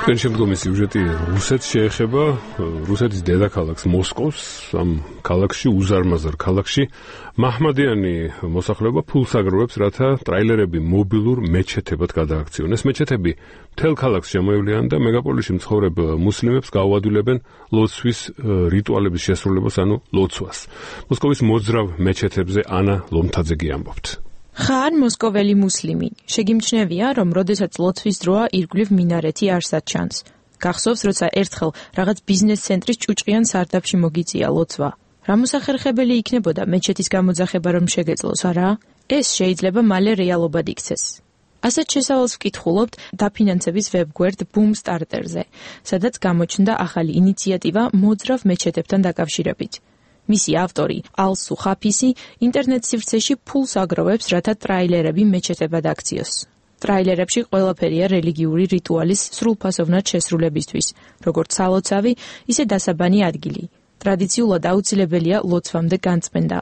თქვენი შემდგომი სიუჟეტი რუსეთს შეეხება, რუსეთის დედაქალაქს მოსკოვს, ამ ქალაქში უზარმაზარ ქალაქში მაჰმადიანი მოსახლეობა ფულს აგროვებს, რათა ტრაილერები მობილურ მეჩეთებად გადააქციონეს. მეჩეთები მთელ ქალაქს შემოევლიან და მეგაპოლისში მცხოვრებ მუსლიმებს გაუადვილებენ ლოცვის რიტუალების შესრულებას, ანუ ლოცვას. მოსკოვის მოძრავ მეჩეთებზე ანა ლომთაძე ამბობთ. ხარ მოსკოველი მუსლიმი. შეგიმჩნევია, რომ როდესაც ლოცვის დროა ირგვლივ მინარეთი არსად ჩანს. გახსოვს, როცა ერთხელ რაღაც ბიზნეს ცენტრის ჭუჭყიან სარდაფში მოგიწია ლოცვა. რა მოსახერხებელი იქნებოდა მეჩეთის გამოძახება რომ შეგეძლოს, არა? ეს შეიძლება მალე რეალობად იქცეს. ასეთ შესავალს ვკითხულობთ დაფინანსების ვებგვერდ Boomstarter-ზე, სადაც გამოჩნდა ახალი ინიციატივა მოძრავ მეჩეთებთან დაკავშირებით. მისი ავტორი ალსუ ხაფისი ინტერნეტ სივრცეში ფულს აგროვებს, რათა ტრაილერები მეჩეთებად აქციოს. ტრაილერებში ყველაფერია რელიგიური რიტუალის სრულფასოვნად შესრულებისთვის, როგორც სალოცავი, ისე დასაბანი ადგილი. ტრადიციულად აუცილებელია ლოცვამდე განწმენდა.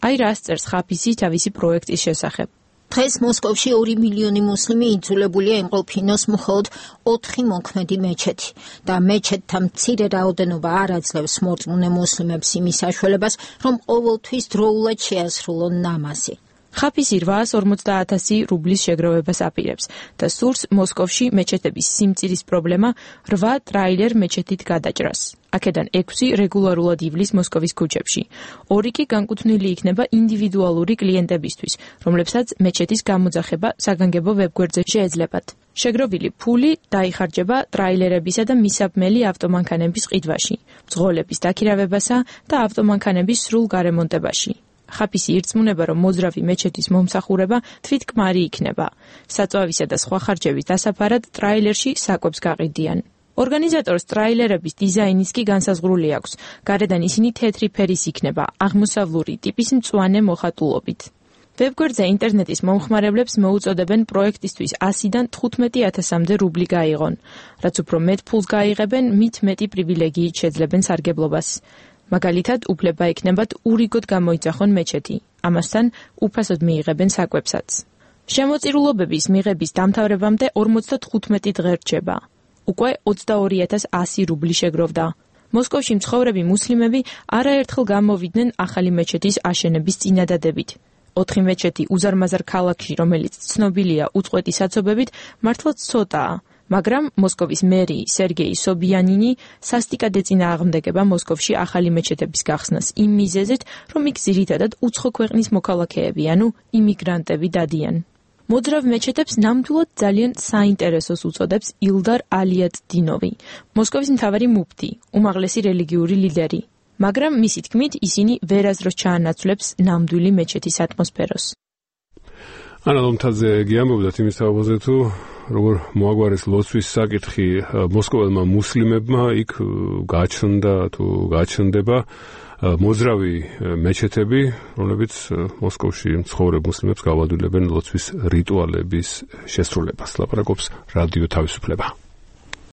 აი რას წერს ხაფისი თავისი პროექტის შესახებ. დღეს მოსკოვში 2 მილიონი მუსლიმი იძულებულია იმყოფინოს მხოლოდ 4 მოქმედი მეჩეთი და მეჩეთთა მცირე რაოდენობა არ აძლევს მორწმუნე მუსლიმებს იმის საშუალებას, რომ ყოველთვის დროულად შეასრულონ ნამაზი. ხაფისი 850,000 რუბლის შეგროვებას აპირებს და სურს მოსკოვში მეჩეთების სიმწირის პრობლემა 8 ტრაილერ მეჩეთით გადაჭრას. აქედან 6 რეგულარულად ივლის მოსკოვის ქუჩებში. 2 კი განკუთვნილი იქნება ინდივიდუალური კლიენტებისთვის, რომლებსაც მეჩეთის გამოძახება საგანგებო ვებგვერდზე შეეძლებათ. შეგროვილი ფული დაიხარჯება ტრაილერებისა და მისაბმელი ავტომანქანების ყიდვაში, მძღოლების დაქირავებასა და ავტომანქანების სრულ გარემონტებაში. ხაფისი ირწმუნება, რომ მოძრავი მეჩეთის მომსახურება თვითკმარი იქნება. საწვავისა და სხვა ხარჯების დასაფარად ტრაილერში საკვებს გაყიდიან. ორგანიზატორს ტრაილერების დიზაინის კი განსაზღვრული აქვს. გარედან ისინი თეთრი ფერის იქნება, აღმოსავლური ტიპის მწვანე მოხატულობით. ვებგვერდზე ინტერნეტის მომხმარებლებს მოუწოდებენ პროექტისთვის 100-დან 15,000-მდე რუბლი გაიღონ. რაც უფრო მეტ ფულს გაიღებენ, მით მეტი პრივილეგიით შეძლებენ სარგებლობას. მაგალითად, უფლება ექნებათ ურიგოდ გამოიძახონ მეჩეთი. ამასთან უფასოდ მიიღებენ საკვებსაც. შემოწირულობების მიღების დამთავრებამდე 55 დღე რჩება. უკვე 22,100 რუბლი შეგროვდა. მოსკოვში მცხოვრები მუსლიმები არაერთხელ გამოვიდნენ ახალი მეჩეთის აშენების წინადადებით. 4 მეჩეთი უზარმაზარ ქალაქში, რომელიც ცნობილია უწყვეტი საცობებით, მართლაც ცოტაა. მაგრამ მოსკოვის მერი სერგეი სობიანინი სასტიკად ეწინააღმდეგება მოსკოვში ახალი მეჩეთების გახსნას იმ მიზეზით, რომ იქ ძირითადად უცხო ქვეყნის მოქალაქეები, ანუ იმიგრანტები დადიან. მოძრავ მეჩეთებს ნამდვილად ძალიან საინტერესოს უწოდებს ილდარ ალიატდინოვი, მოსკოვის მთავარი მუფტი, უმაღლესი რელიგიური ლიდერი. მაგრამ მისი თქმით, ისინი ვერასდროს ჩაანაცვლებს ნამდვილი მეჩეთის ატმოსფეროს. ანა ლომთაძე ამბობდა იმის თაობაზე, თუ როგორ მოაგვარეს ლოცვის საკითხი მოსკოველმა მუსლიმებმა, იქ გაჩნდა თუ გაჩნდება მოძრავი მეჩეთები, რომლებიც მოსკოვში მცხოვრებ მუსლიმებს გაუადვილებენ ლოცვის რიტუალების შესრულებას. ლაპარაკობს რადიო თავისუფლება.